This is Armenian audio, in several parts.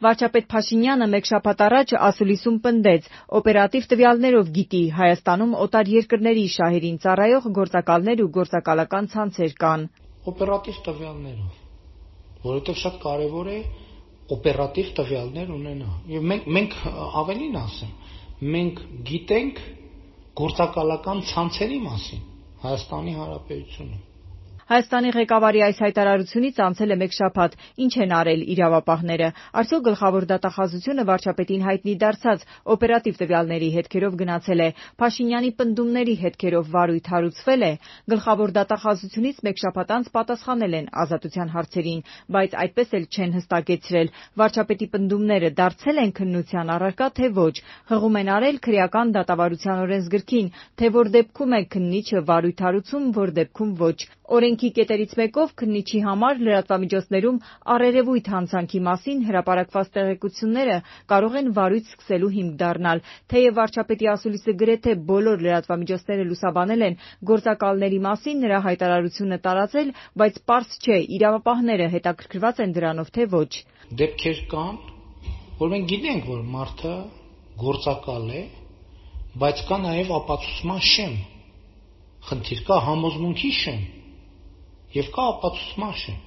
Վարչապետ Փաշինյանը մեկ շաբաթ առաջ ասուլիսում պնդեց, օպերատիվ տվյալներով գիտի Հայաստանում օտար երկրների շահերին ծառայող գործակալներ ու գործակալական ցանցեր կան։ Օպերատիվ տվյալներով, որովհետև շատ կարևոր է օպերատիվ տվյալներ ունենալ։ Եվ մենք ավելին ասեմ, մենք գիտենք գործակալական ցանցերի մասին Հայաստանի Հանրապետությունում։ Հայաստանի ղեկավարի այս հայտարարությունից անցել է մեկ շաբաթ, ինչ են արել իրավապահները, արդյոք գլխավոր դատախազությունը վարչապետին հայտնի դարձած օպերատիվ տվյալների հետքերով գնացել է, Փաշինյանի պնդումների հետքերով վարույթ հարուցվել է, գլխավոր դատախազությունից մեկ շաբաթ անց պատասխանել են ազատության հարցերին, բայց այդպես էլ չեն հստակեցրել, վարչապետի պնդումները դարձել են քննության առարկա, թե ոչ, հղում են արել քրեական դատավարության օրենսգրքին, թե որ դեպքում է քննիչը վարույթ հարուցում, որ դեպքում ոչ։ Օրենքի կետերից մեկով քննիչի համար լրատվամիջոցներում առերևույթ հանցանքի մասին հրապարակված տեղեկությունները կարող են վարույթ սկսելու հիմք դառնալ, թեև վարչապետի ասուլիսը գրեթե բոլոր լրատվամիջոցները լուսաբանել են գործակալների մասին նրա հայտարարությունը տարածել, բայց պարզ չէ իրավապահները հետաքրքրված են դրանով, թե ոչ։ Դեպքեր կան, որ մենք գիտենք, որ մարդը գործակալ է, բայց կա նաև ապացուցման շեմ, խնդիր կա համոզմունքի շեմ եւ կա ապացուցման շեմ։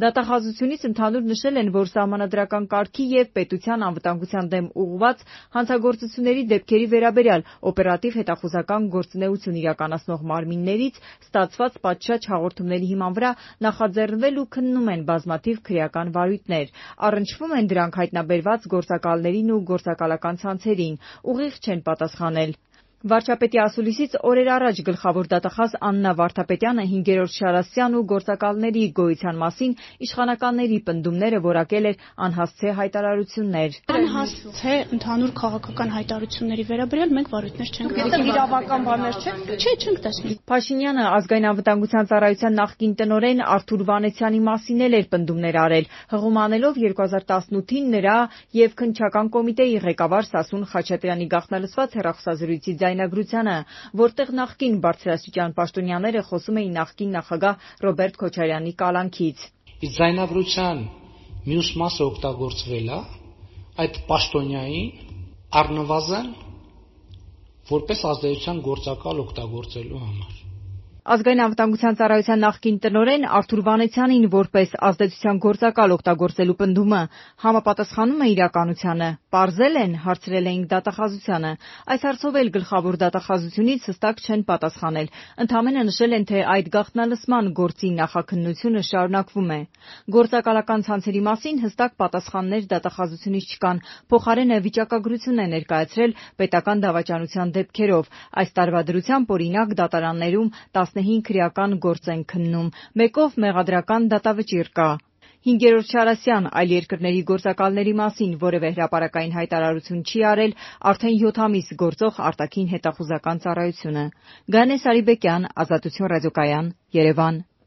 Դատախազությունից ընդհանուր նշել են, որ սահմանադրական կարգի եւ պետության անվտանգության դեմ ուղղված հանցագործությունների դեպքերի վերաբերյալ օպերատիվ հետախուզական գործունեություն իրականացնող մարմիններից ստացված պատշաճ հաղորդումների հիման վրա նախաձեռնվել ու քննում են բազմաթիվ քրեական վարույթներ։ Առնչվում են դրանք հայտնաբերված գործակալներին ու գործակալական ցանցերին, ուղիղ չեն պատասխանել։ Վարչապետի ասուլիսից օրեր առաջ գլխավոր դատախազ Աննա Վարդապետյանը 5-րդ Շարասյան ու գործակալների գոյության մասին իշխանականների պնդումները որակել էր անհասցե հայտարարություններ։ Անհասցե ընդհանուր քաղաքական հայտարարությունների վերաբերյալ մենք վարույթներ չենք տեսել։ Իրավական բաներ չենք տեսնում։ Փաշինյանը ազգային անվտանգության ծառայության նախկին տնօրեն Արթուր Վանեցյանի մասին էր պնդումներ արել, հղում անելով 2018-ին նրա եւ քննչական կոմիտեի ղեկավար Սասուն Խաչատրյանի գաղտնալսված հեռախոսազրույցի ձայնագրությանը, որտեղ նախկին բարձրաստիճան պաշտոնյաները խոսում էին նախկին նախագահ Ռոբերտ Քոչարյանի կալանքից։ Իսկ ձայնագրության մյուս մասը օգտագործվել է այդ պաշտոնյային առնվազն որպես ազդեցության գործակալ օգտագործելու համար։ Ազգային անվտանգության ծառայության նախկին տնօրեն Արթուր Վանեցյանին որպես ազդեցության գործակալ օգտագործելու պնդումը համապատասխանում է իրականությանը, պարզել են, հարցրել էինք դատախազությանը։ Այս հարցով էլ գլխավոր դատախազությունից հստակ չեն պատասխանել, ընդամենը նշել են, թե այդ գաղտնալսման գործի նախաքննությունը շարունակվում է։ Գործակալական ցանցերի մասին հստակ պատասխաններ դատախազությունից չկան, փոխարենը վիճակագրություն է ներկայացրել պետական դավաճանության դեպքերով։ Այս տարվա դրությամբ օրինակ դատարաններում 15 քրեական գործ են քննում, մեկով մեղադրական դատավճիռ կա։ 5-րդ Շարասյան այլ երկրների գործակալների մասին որևէ հրապարակային հայտարարություն չի արել արդեն 7 ամիս գործող արտաքին հետախուզական ծառայությունը։ Գանե Սարիբեկյան, Ազատություն ռադիոկայան, Երևան։